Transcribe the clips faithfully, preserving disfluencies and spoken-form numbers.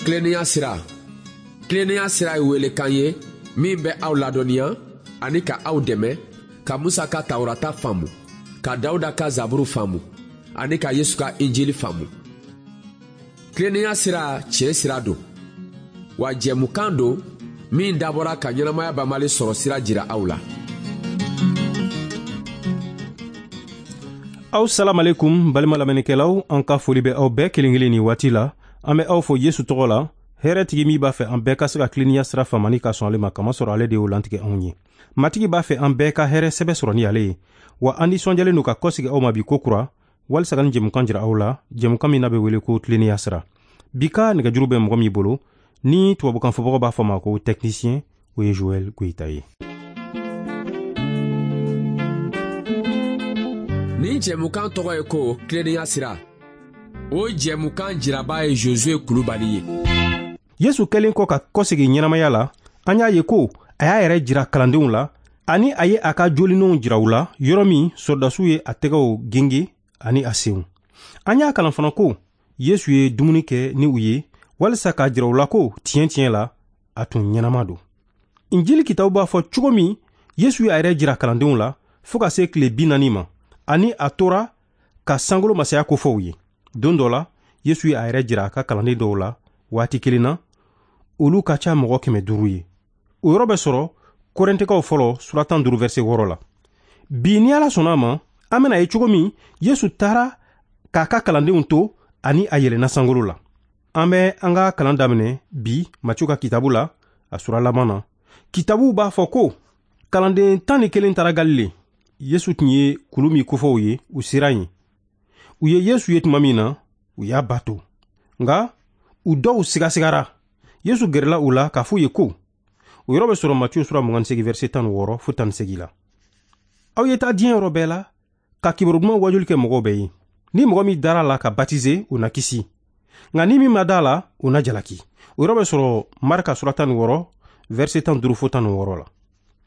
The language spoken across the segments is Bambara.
Tilennenya sira. Tilennenya sira ye welekan ye min bɛ aw ladɔnniya ani ka aw dɛmɛ ka Musa ka Tawurata faamu, ka Dawuda ka Zaburu faamu ani ka Yesu ka Injili faamu. Tilennenya sira tiɲɛ sira don, wa jɛmukan don min dabɔra ka ɲɛnamaya banbali sɔrɔ sira jira aw la. Aw salam alaikum balima lamɛnnikɛlaw, an ka foli bɛ aw bɛɛ kelen kelen ni waati la. An bɛ aw fo Yesu tɔgɔ la, hɛrɛtigi min b'a fɛ an bɛɛ ka se ka tilennenya sira faamani ka sɔn ale ma, kamasɔrɔ ale de y'o lantigɛ anw ye. Matigi b'a fɛ an bɛɛ ka hɛrɛ sɛbɛ sɔrɔ ni ale ye, wa an nisɔndiyalen don ka kɔsegi aw ma bi ko kura, walisa ka nin jɛmukan jira aw la, jɛmukan min n'a bɛ wele ko tilennenya sira. Bi ka nɛgɛjuru bɛ mɔgɔ min bolo, ni tubabukan fɔbagaw b'a fɔ ma ko technicien, o ye Joël Goïta ye. Nin jɛmukan tɔgɔ ye ko tilennenya sira. O jɛmukan jiraba ye Josué Kulubali ye. Yesu kɛlen kɔ ka kɔsegi ɲɛnamaya la, an y'a ye ko a y'a yɛrɛ jira kalandenw la, ani a ye a ka jolinenw jira u la, yɔrɔ min sɔrɔdasiw ye a tɛgɛw genge ani a senw. An y'a kalan fana ko Yesu ye dumuni kɛ ni u ye, walisa k'a jira u la ko tiɲɛ tiɲɛ la a tun ɲɛnama don. Injili kitabu b'a fɔ cogo min Yesu y'a yɛrɛ jira kalandenw la fo ka se tile bi naani ma, ani a tora ka sankolo masaya kofɔ u ye. Don dɔ la, Yesu ye a yɛrɛ jira a ka kalanden dɔw la waati kelen na, olu ka ca mɔgɔ kɛmɛ duuru ye. O yɔrɔ bɛ sɔrɔ Korɛntikaw fɔlɔ sura tan duuru verset wɔɔrɔ la. Bi ni Ala sɔnna a ma, an bɛna ye cogo min Yesu taara k'a ka kalandenw to ani a yɛlɛnna sankolo la. An bɛ an ka kalan daminɛ bi Matiyu ka kitabu la, a sura laban na. Kitabu b'a fɔ ko kalanden tan ni kelen taara Galile. Yesu tun ye kulu min kofɔ u ye, u sera yen. U ye Yesu ye tuma min na, u y'a bato. Nka u dɔw sigasigara. Yesu gɛrɛla u la k'a f'u ye ko, o yɔrɔ bɛ sɔrɔ Matiyu sura mugan ni seegin verset tan ni wɔɔrɔ fo tan ni seegin la. Aw ye taa diɲɛ yɔrɔ bɛɛ la ka kibaru duman wajuli kɛ mɔgɔw bɛɛ ye. Ni mɔgɔ min dara la ka batize, o na kisi. Nka ni min ma da la, o na jalaki. O yɔrɔ bɛ sɔrɔ Marika sura tan ni wɔɔrɔ verset tan ni duuru fo tan ni wɔɔrɔ la.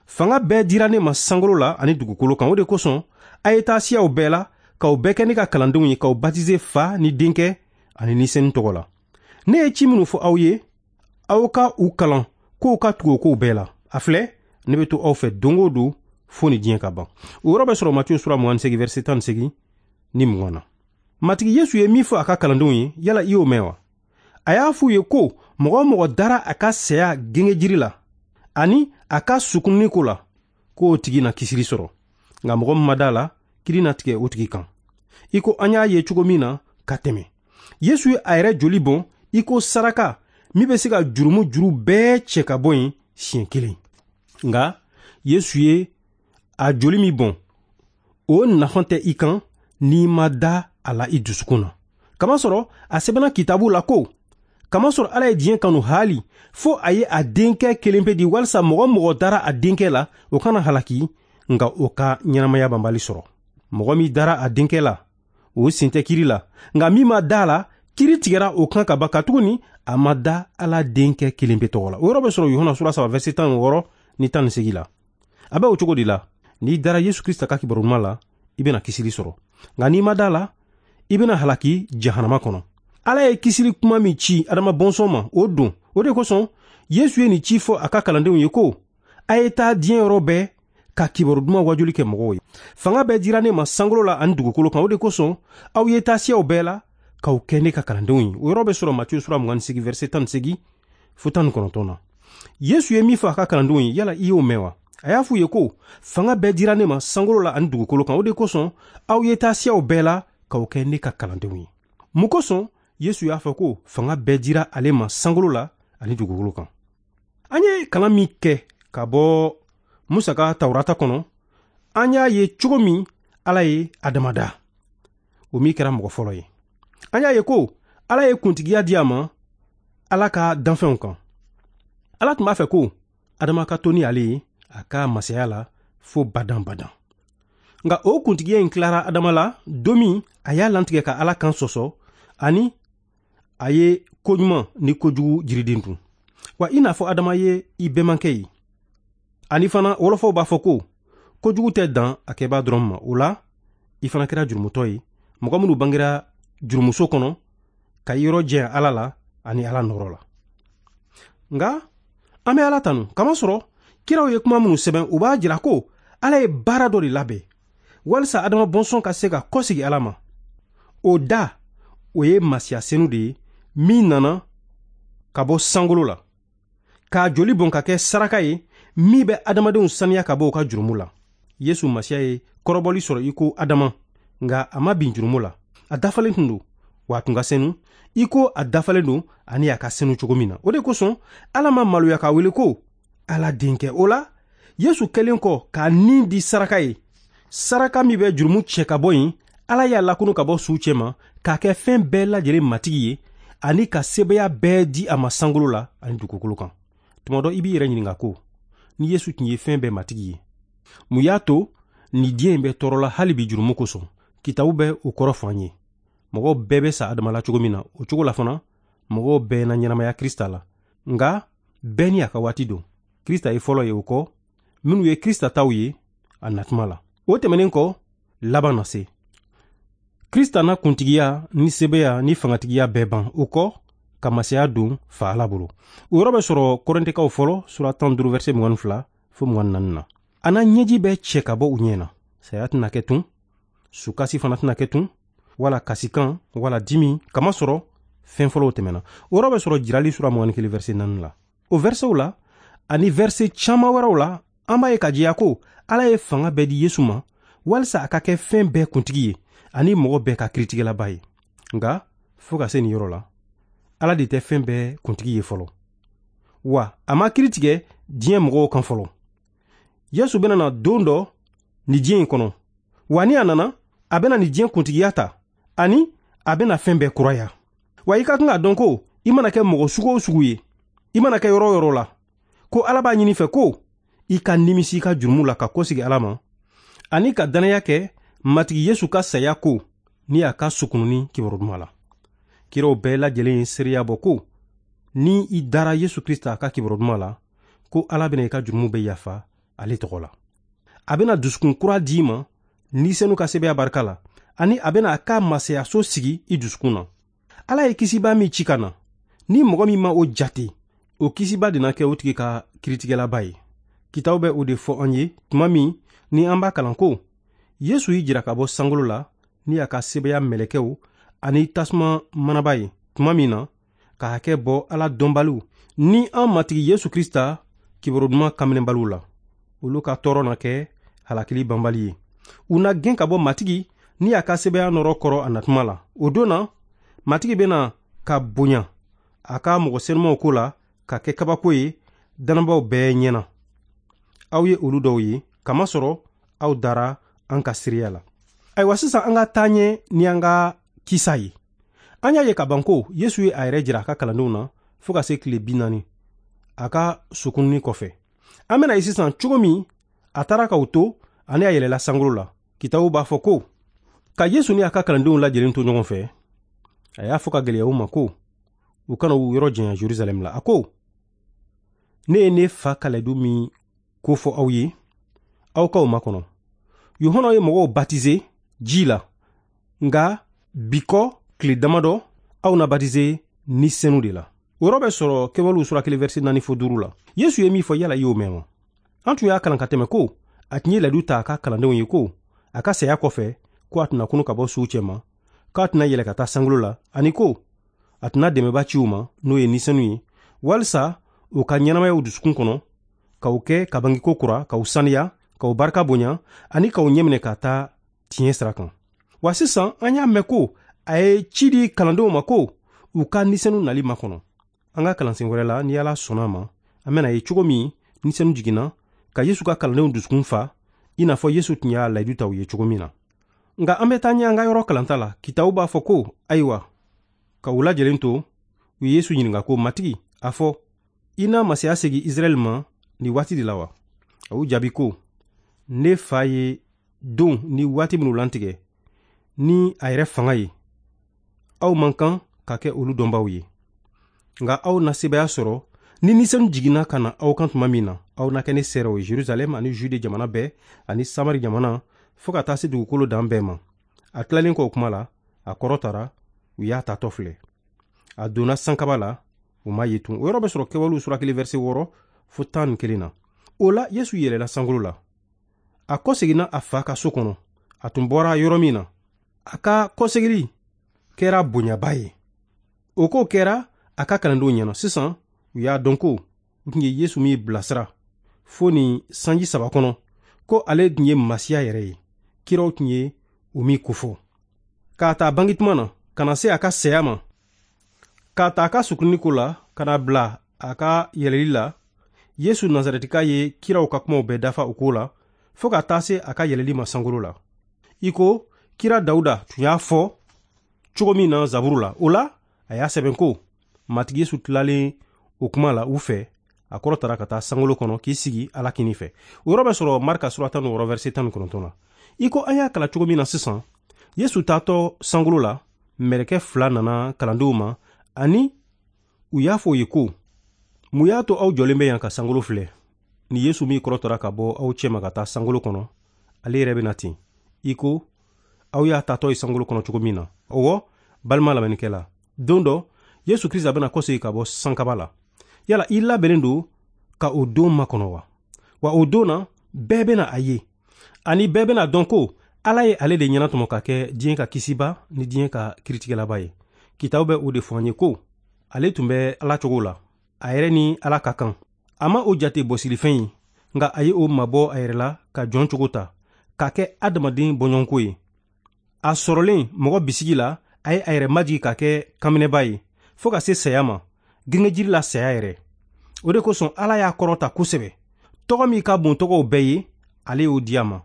Fanga bɛɛ dira ne ma sankolo la ani dugukolo kan. O de kosɔn a ye taa siyaw bɛɛ la k'aw bɛɛ kɛ ne ka kalandenw ye, k'aw batize fa ni denkɛ ani ni senu tɔgɔ la. Ne ye ci minnu fɔ aw ye, aw ka u kalan k'u ka tugu o kow bɛɛ la. A filɛ, ne bɛ to aw fɛ don o don fo ni diɲɛ ka ban. O yɔrɔ bɛ sɔrɔ Matiyu sura mugan ni seegin verset tan ni seegin ni mugan na. Matigi Yesu ye min fɔ a ka kalandenw ye, yala i y'o mɛn wa? A y'a f'u ye ko mɔgɔ o mɔgɔ dara a ka saya gengejiri la ani a ka sukununi ko la, k'o tigi na kisili sɔrɔ. Nka mɔgɔ min ma da la, kiri na tigɛ o tigi kan. I ko an y'a ye cogo min na ka tɛmɛ, Yesu ye a yɛrɛ joli bɔn i ko saraka min bɛ se ka jurumu juru bɛɛ cɛ ka bɔ yen siɲɛ kelen. Nka Yesu ye a joli min bɔn, o nafa tɛ i kan n'i ma da a la i dusukun na. Kamasɔrɔ a sɛbɛnna kitabu la ko, kamasɔrɔ Ala ye diɲɛ kanu haali fo a ye a denkɛ kelen pe di, walisa mɔgɔ mɔgɔ dara a denkɛ la, o kana halaki, nka o ka ɲɛnamaya banbali sɔrɔ. Mɔgɔ min dara a denkɛ la, o sen tɛ kiri la, nka min ma da la, kiri tigɛra o kan ka ban, katuguni a ma da Ala denkɛ kelen pe tɔgɔ la. O yɔrɔ bɛ sɔrɔ Yohana sura saba verset tan ni wɔɔrɔ ni tan ni seegin la. A bɛ o cogo de la, n'i dara Yesu Krista ka kibaru duman la, i bɛna kisili sɔrɔ. Nka n'i ma da la, i bɛna halaki jahanama kɔnɔ. Ala ye kisili kuma min ci Adama bɔnsɔn ma, o don. O de kosɔn Yesu ye nin ci fɔ a ka kalandenw ye ko, a ye taa diɲɛ yɔrɔ bɛɛ ka kibaru duman wajuli kɛ mɔgɔw ye. Fanga bɛɛ dira ne ma sankolo la ani dugukolo kan. O de kosɔn aw ye taa siyaw bɛɛ la k'aw kɛ ne ka kalandenw ye. O yɔrɔ bɛ sɔrɔ Matiyu sura mugan ni seegin verset tan ni seegin fo tan ni kɔnɔntɔn na. Yesu ye min fɔ a ka kalandenw ye, yala i y'o mɛn wa? A y'a f'u ye ko, fanga bɛɛ dira ne ma sankolo la ani dugukolo kan. O de kosɔn aw ye taa siyaw bɛɛ la k'aw kɛ ne ka kalandenw ye. Mun kosɔn Yesu y'a fɔ ko fanga bɛɛ dira ale ma sankolo la ani dugukolo kan? An ye kalan min kɛ ka bɔ Musa ka Tawurata kɔnɔ, an y'a ye cogo min Ala ye Adama da, o min kɛra mɔgɔ fɔlɔ ye. An y'a ye ko Ala ye kuntigiya di a ma Ala ka danfɛnw kan. Ala tun b'a fɛ ko Adama ka to ni ale ye a ka masaya la fo badan badan. Nka o kuntigiya in tilara Adama la don min a y'a lantigɛ ka Ala kan sɔsɔ, ani a ye koɲuman ni kojugu jiriden dun. Wa i n'a fɔ Adama ye i bɛnbakɛ ye. Ani fana wɔlɔfɔw b'a fɔ ko kojugu tɛ dan a kɛbaa dɔrɔn ma. O la i fana kɛra jurumutɔ ye, mɔgɔ minnu bangera jurumuso kɔnɔ ka yɔrɔ jɛya Ala la ani Ala nɔrɔ la. Nka an bɛ Ala tanu kamasɔrɔ kiraw ye kuma minnu sɛbɛn, u b'a jira ko Ala ye baara dɔ de labɛn walisa Adama bɔnsɔn ka se ka kɔsegi Ala ma. O da, o ye Masiya senu de ye min nana ka bɔ sankolo la, k'a joli bɔn ka kɛ saraka ye min bɛ adamadenw saniya ka bɔ u ka jurumu la. Yesu Masiya ye kɔrɔbɔli sɔrɔ i ko Adama, nka a ma bin jurumu la. A dafalen tun don, wa a tun ka senu i ko a dafalen don ani a ka senu cogo min na. O de kosɔn Ala ma maloya k'a wele ko Ala denkɛ. O la, Yesu kɛlen kɔ k'a nin di saraka ye, saraka min bɛ jurumu cɛ ka bɔ yen, Ala y'a lakunu ka bɔ suw cɛma k'a kɛ fɛn bɛɛ lajɛlen matigi ye ani ka sebaaya bɛɛ di a ma sankolo la ani dugukolo kan. Tuma dɔ i b'i yɛrɛ ɲininka ko ni Yesu tun ye fɛn bɛɛ matigi ye, mun y'a to ni diɲɛ in bɛ tɔɔrɔ la hali bi jurumu kosɔn? Kitabu bɛ o kɔrɔ fɔ an ye. Mɔgɔw bɛɛ bɛ sa Adama la cogo min na, o cogo la fana mɔgɔw bɛɛ na ɲɛnamaya Krista la. Nka bɛɛ ni a ka waati don. Krista ye fɔlɔ ye, o kɔ minnu ye Krista taw ye a natuma la. O tɛmɛnen kɔ, laban na se. Krista na kuntigiya ni sebeya ni fangatigiya bɛɛ ban, o kɔ ka masaya don fa Ala bolo. O yɔrɔ bɛ sɔrɔ Kɔrɛntɛkaw fɔlɔ sura tan duuru verset mugan ni fila fo mugan ni naani na. A na ɲɛji bɛɛ cɛ ka bɔ u ɲɛ na. Saya tɛna kɛ tun, sukasi fana tɛna kɛ tun, wala kasikan wala dimi, kamasɔrɔ fɛn fɔlɔw tɛmɛna. O yɔrɔ bɛ sɔrɔ Jirali sura mugan ni kelen verset naani la. O versetw la ani verset caman wɛrɛw la, an b'a ye ka jɛya ko Ala ye fanga bɛɛ di Yesu ma walisa a ka kɛ fɛn bɛɛ kuntigi ye ani mɔgɔ bɛɛ ka kiritigɛlaba ye. Nka fo ka se nin yɔrɔ la, Ala de tɛ fɛn bɛɛ kuntigi ye fɔlɔ, wa a ma kiri tigɛ diɲɛ mɔgɔw kan fɔlɔ. Yesu bɛna na don dɔ ni diɲɛ in kɔnɔ, wa ni a nana, a bɛna ni diɲɛ kuntigiya ta ani a bɛna fɛn bɛɛ kuraya. Wa i ka kan k'a dɔn ko i mana kɛ mɔgɔ sugu o sugu ye, i mana kɛ yɔrɔ o yɔrɔ la, ko Ala b'a ɲini fɛ ko i ka nimisi i ka jurumu la ka kɔsegi Ala ma ani ka dannaya kɛ Matigi Yesu ka saya ko ni a ka sukununi kibaru duman la. Kiraw bɛɛ lajɛlen ye seereya bɔ ko ni i dara Yesu Krista ka kibaru duman la, ko Ala bɛna i ka jurumu bɛɛ yafa ale tɔgɔ la. A bɛna dusukun kura d'i ma ni senu ka sebeya barika la, ani a bɛna a ka masayaso sigi i dusukun na. Ala ye kisiba min ci ka na, ni mɔgɔ min ma o jate, o kisiba de na kɛ o tigi ka kiritigɛlaba ye. Kitabu bɛ o de fɔ an ye tuma min ni an b'a kalan ko Yesu y'i jira ka bɔ sankolo la ni a ka sebeya mɛlɛkɛw ani tasuma manaba ye tuma min na ka hakɛ bɔ Ala dɔnbaliw ni an Matigi Yesu Krista kibaru duman kanminɛbaliw la. Olu ka tɔɔrɔ na kɛ halakili banbali ye. U na gɛn ka bɔ Matigi ni a ka sebeya nɔrɔ kɔrɔ a natuma la. O don na, Matigi bɛna ka bonya a ka mɔgɔ senumaw ko la ka kɛ kabako ye dannabaw bɛɛ ɲɛna. Aw ye olu dɔw ye kamasɔrɔ aw dara an ka seereya la. Ayiwa, sisan an ka taa ɲɛ ni an ka kisa ye. An y'a ye ka ban ko Yesu ye a yɛrɛ jira a ka kalandenw na fo ka se tile bi naani a ka sukununi kɔfɛ. An bɛna ye sisan cogo min a taara k'u to ani a yɛlɛla sankolo la. Kitabu b'a fɔ ko ka Yesu ni a ka kalandenw lajɛlen to ɲɔgɔn fɛ, a y'a fɔ ka gɛlɛya u ma ko u kana u yɔrɔ janya Jerusalɛm la. A ko, ne ye ne fa ka layidu min ko fɔ aw ye, aw k'aw makɔnɔ. Yohana ye mɔgɔw batize ji la, nka bi kɔ tile damadɔ aw na batize ni senu de la. O yɔrɔ bɛ sɔrɔ Kɛwalew sura kelen verset naani fo duuru la. Yesu ye min fɔ, yala i y'o mɛn wa? An tun y'a kalan ka tɛmɛ ko a tun ye layidu ta a ka kalandenw ye ko a ka saya kɔfɛ ko a tɛna kunu ka bɔ suw cɛma, k'a tɛna yɛlɛ ka taa sankolo la, ani ko a tɛna dɛmɛba ci u ma, n'o ye ni senu ye, walisa u ka ɲɛnamaya u dusukun kɔnɔ, k'aw kɛ ka bangeko kura, k'aw saniya, k'aw barika bonya, ani k'aw ɲɛminɛ ka taa tiɲɛ sira kan. Wa sisan an y'a mɛn ko a ye ci di kalandenw ma ko u ka ni senu nali makɔnɔ. An ka kalansen wɛrɛ la, ni Ala sɔnna a ma, an bɛna ye cogo min ni senu jiginna ka Yesu ka kalandenw dusukun fa, i n'a fɔ Yesu tun y'a layidu ta u ye cogo min na. Nka an bɛ taa ɲɛ an ka yɔrɔ kalanta la. Kitabu b'a fɔ ko ayiwa, ka u lajɛlen to, u ye Yesu ɲininka ko, Matigi, a fɔ, i na masaya segin Israɛl ma nin waati de la wa? A y'u jaabi ko, ne fa ye don ni waati minnu lantigɛ ni a yɛrɛ fanga ye, aw man kan ka kɛ olu dɔnbaw ye. Nka aw na sebaaya sɔrɔ ni ni senu jiginna ka na aw kan tuma min na, aw na kɛ ne seerew ye Jerusalɛm ani Jude jamana bɛɛ ani Samari jamana fo ka taa se dugukolo dan bɛɛ ma. A tilalen kɔ o kuma la, a kɔrɔtara, u y'a tatɔ filɛ. A donna sankaba la U ma ye tun. O yɔrɔ bɛ sɔrɔ Kɛwalew sura kelen verset wɔɔrɔ fo tan ni kelen na. O la Yesu yɛlɛla sankolo la. A kɔseginna a fa ka so kɔnɔ, a tun bɔra yɔrɔ min na. A ka kɔsegili kɛra bonyaba ye. O ko kɛra a ka kalandenw ɲɛna. Sisan u y'a dɔn ko u tun ye Yesu min bilasira fo nin sanji saba kɔnɔ, ko ale tun ye Masiya yɛrɛ ye, kiraw tun ye o min kofɔ. K'a ta bange tuma na ka na se a ka saya ma, k'a ta a ka sukunni ko la ka na bila a ka yɛlɛli la, Yesu Nazarɛtika ye kiraw ka kumaw bɛɛ dafa o ko la fo ka taa se a ka yɛlɛli ma sankolo la, i ko kira Dawuda tun y'a fɔ cogo min na Zaburu la. O la a y'a sɛbɛn ko Matigi Yesu tilalen o kuma la u fɛ, a kɔrɔtara ka taa sankolo kɔnɔ k'i sigi Ala kinin fɛ. O yɔrɔ bɛ sɔrɔ Marka sura tan ni wɔɔrɔ verset tan ni kɔnɔntɔn na. I ko an y'a kalan cogo min na sisan, Yesu taatɔ sankolo la, mɛlɛkɛ fila nana kalandenw ma, ani u y'a fɔ u ye ko mun y'a to aw jɔlen bɛ yan ka sankolo filɛ? Ni Yesu min kɔrɔtara ka bɔ aw cɛma ka taa sankolo kɔnɔ, ale yɛrɛ bɛ na ten, i ko aw y'a taatɔ ye sankolo kɔnɔ cogo min na. Ɔwɔ, balima lamɛnnikɛla, don dɔ Yesu Krista bɛna kɔsegin ka bɔ sankaba la. Yala i labɛnnen don ka o don makɔnɔ wa? Wa o don na bɛɛ bɛna a ye, ani bɛɛ bɛna dɔn ko Ala ye ale de ɲɛnatɔmɔ ka kɛ diɲɛ ka kisiba ni diɲɛ ka kiritigɛlaba ye. Kitabu bɛ o de fɔ an ye ko ale tun bɛ Ala cogo la, a yɛrɛ ni Ala ka kan. A ma o jate bɔsilifɛn ye, nka a ye o mabɔ a yɛrɛ la ka jɔn cogo ta, k'a kɛ adamaden bɔɲɔgɔnko ye. A sɔrɔlen mɔgɔ bisigi la, a ye a yɛrɛ majigi ka kɛ kanminɛba ye fo ka se saya ma, gengejiri la saya yɛrɛ. O de kosɔn Ala y'a kɔrɔta kosɛbɛ. Tɔgɔ min ka bon tɔgɔw bɛɛ ye, ale y'o di a ma,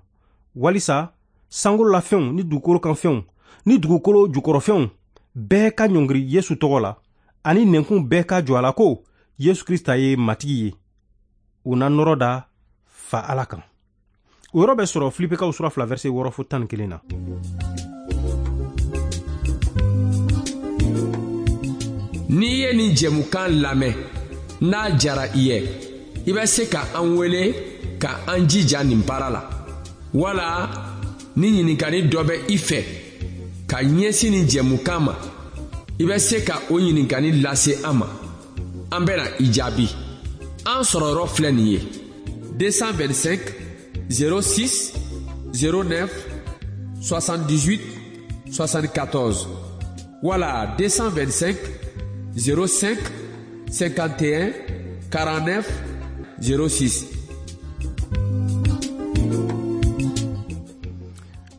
walisa sankolo la fɛnw ni dugukolo kan fɛnw ni dugukolo jukɔrɔfɛnw bɛɛ ka ɲɔngiri Yesu tɔgɔ la, ani nɛnkun bɛɛ ka jɔ a la ko Yesu Krista ye Matigi ye. U na nɔrɔ da fa Ala kan. O yɔrɔ bɛ sɔrɔ Filipekaw sura fila verset wɔɔrɔ fo tan ni kelen na. N'i ye nin jɛmukan lamɛn, n'a diyara i ye, i bɛ se ka an wele ka an jija nin baara la, wala ni ɲininkali dɔ bɛ i fɛ ka ɲɛsin nin jɛmukan ma, i bɛ se ka o ɲininkali lase an ma. An bɛna i jaabi. An sɔrɔ yɔrɔ filɛ nin ye: deux cent vingt-cinq zéro six zéro neuf soixante-dix-huit soixante-quatorze wala deux cent vingt-cinq zéro cinq cinquante et un quarante-neuf zéro six.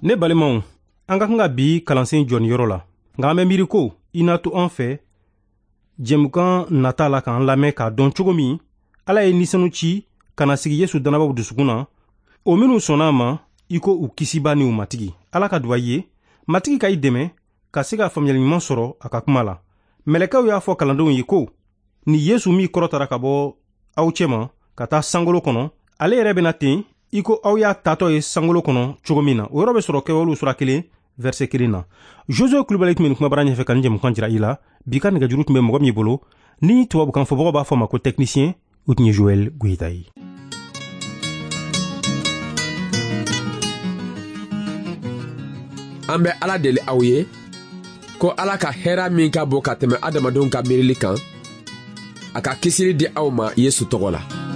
Ne balimaw, an ka kan ka bi kalansen jɔ nin yɔrɔ la, nka an bɛ miiri ko i n'a to an fɛ jɛmukan nata la k'an lamɛn k'a dɔn cogo min Ala ye nisanu ci ka na sigi Yesu dannabaw dusukun na, o minnu sɔnna a ma i ko u kisiba ni u Matigi. Ala ka duwa i ye, Matigi ka i dɛmɛ ka se ka faamuyali ɲuman sɔrɔ a ka kuma la. Mɛlɛkɛw y'a fɔ kalandenw ye ko ni Yesu min kɔrɔtara ka bɔ aw cɛma ka taa sankolo kɔnɔ, ale yɛrɛ bɛna ten i ko aw y'a taatɔ ye sankolo kɔnɔ cogo min na. O yɔrɔ bɛ sɔrɔ Kɛwalew sura kelen verset kelen na. Josue Kulubali tun bɛ nin kumabara ɲɛfɛ ka nin jɛmukan jira i la. Bi ka nɛgɛjuru tun bɛ mɔgɔ min bolo ni tubabukan fɔbagaw b'a fɔ ma ko technicien, o tun ye Joël Goyita ye. An bɛ Ala deli aw ye ko Ala ka hɛrɛ min ka bon ka tɛmɛ adamadenw ka miirili kan, a ka kisili di aw ma Yesu tɔgɔ la.